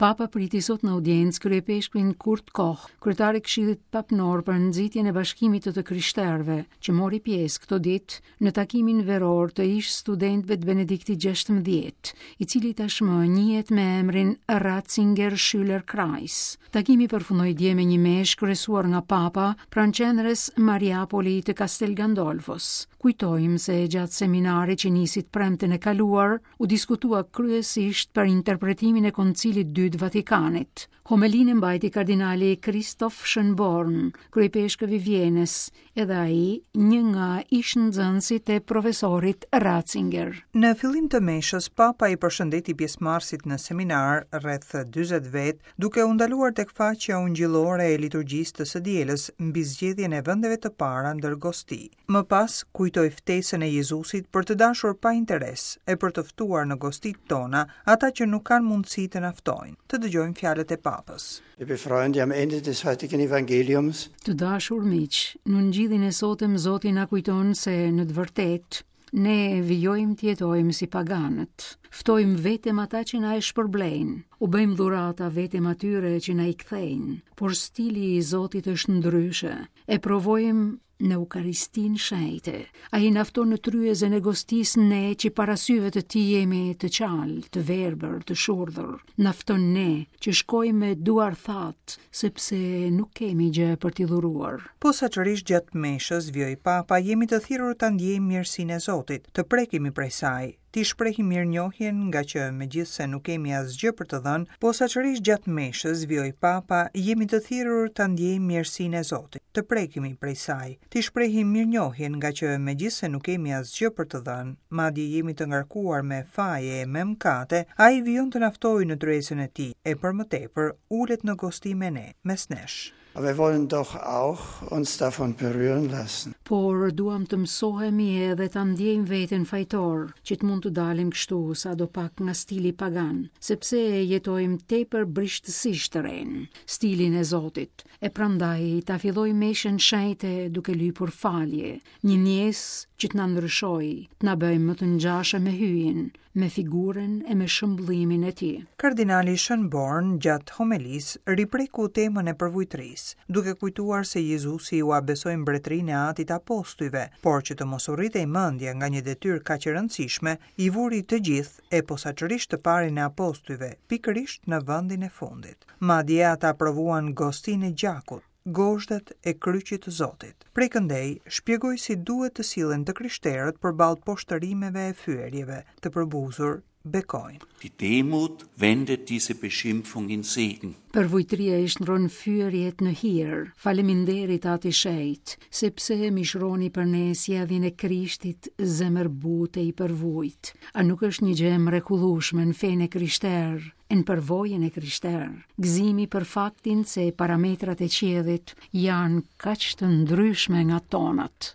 Papa priti sot në audiencë kryeipeshkvin Kurt Koch, kryetar i Këshillit Papnor për nxitjen e bashkimit të të krishterëve, që mori pjesë këto ditë në takimin veror të ish studentëve të Benediktit XVI, i cili tashmë njihet me emrin Ratzinger Schülerkreis. Takimi përfundoi dje me një meshë kryesuar nga Papa pranë qendrës Mariapoli të Castel Gandolfos. Kujtojmë se gjatë seminarit që nisi të premten e kaluar, u diskutua kryesisht për interpretimin e Koncilit të Dytë Vatikanit. Homelinë e mbajti kardinali Christoph Schönborn, kryeipeshkëv i Vjenës, edhe ai një nga ish-nxënësit e profesorit Ratzinger. Në fillim të meshës, Papa i përshëndeti pjesëmarrësit në seminar, rreth 40 vetë, Duke u ndaluar tek faqja ungjillore e liturgjisë të së dielës mbi zgjedhjen e vendeve të para ndër gosti. Më pas, kujtoi ftesën e Jezusit për të dashur pa interes e për të ftuar në gostitë tona ata që nuk kanë mundësi të na ftojnë. Të dëgjojmë fjalët e Papës. Liebe Freunde, am Ende des heutigen Evangeliums. Të dashur miq, në ungjillin e sotëm Zoti na kujton se në të vërtetë Ne vijojmë të jetojmë si paganët. Ftojmë vetëm ata që na e shpërblejnë. U bëjmë dhurata vetëm atyre që na i kthejnë. Por stili i Zotit është ndryshe. E provojmë në Eukaristinë shenjte. Ai na fton në tryezën e gostisë ne që para syve të tij jemi të çalë, të verbër, të shurdhër. Na fton ne që shkojmë me duar thatë, sepse nuk kemi gjë për t'i dhuruar. Posaçërisht gjatë meshës, vijoi Papa, jemi të thirrur ta ndjejmë mirësinë e Zotit, të prekemi prej saj, t'i shprehim mirënjohjen ngaqë megjithëse nuk kemi asgjë për të dhënë, posaçërisht gjatë meshës, vijoi Papa, jemi të thirrur ta ndjejmë mirësinë e Zotit, të prekemi prej saj, t'i shprehim mirënjohjen ngaqë megjithëse nuk kemi asgjë për të dhënë, madje jemi të ngarkuar me faje e me mëkate, ai vijon të na ftojë në tryezën e tij, e për më tepër, ulet në gosti me ne, mes nesh. Aber wir wollen doch auch uns davon berühren lassen. Por duam të mësohemi edhe ta ndjejmë veten fajtor, që të mund të dalim kështu sadopak nga stili pagan, sepse jetojmë tepër brishtësisht të renë, stilin e Zotit, e prandaj ta fillojmë meshën shenjte duke lypur falje, një ndjesë që të na ndryshojë, të na bëjë më të ngjashëm me Hyjin, me figurën e me shëmbllimin e tij. Kardinali Schönborn gjatë homelisë ripreku temën e përvujtrisë, duke kujtuar se Jezusi ua besoi mbretërinë e Atit apostujve, por që të mos u rritej mendja nga një detyrë kaq e rëndësishme, i vuri të gjithë, e posaçërisht të parin e apostujve, pikërisht në vendin e fundit. Madje ata provuan gostinë e gjakut, gozhdat e kryqit të Zotit. Prej këndej, shpjegoi si duhet të sillen të krishterët përballë poshtërimeve e fyerjeve, të përbuzur, bekojnë. Die Demut wendet diese Beschimpfung in Segen. Përvujtria i shndërron fyerjet në hir. Faleminderit At i Shenjtë, sepse mishëroni për ne sjelljen e Krishtit zemërbutë e i përvujt. A nuk është një gjë e mrekullueshme në fenë e krishterë, e në përvojën e krishterë, gëzimi për faktin se parametrat e qiellit janë kaq të ndryshme nga tonat.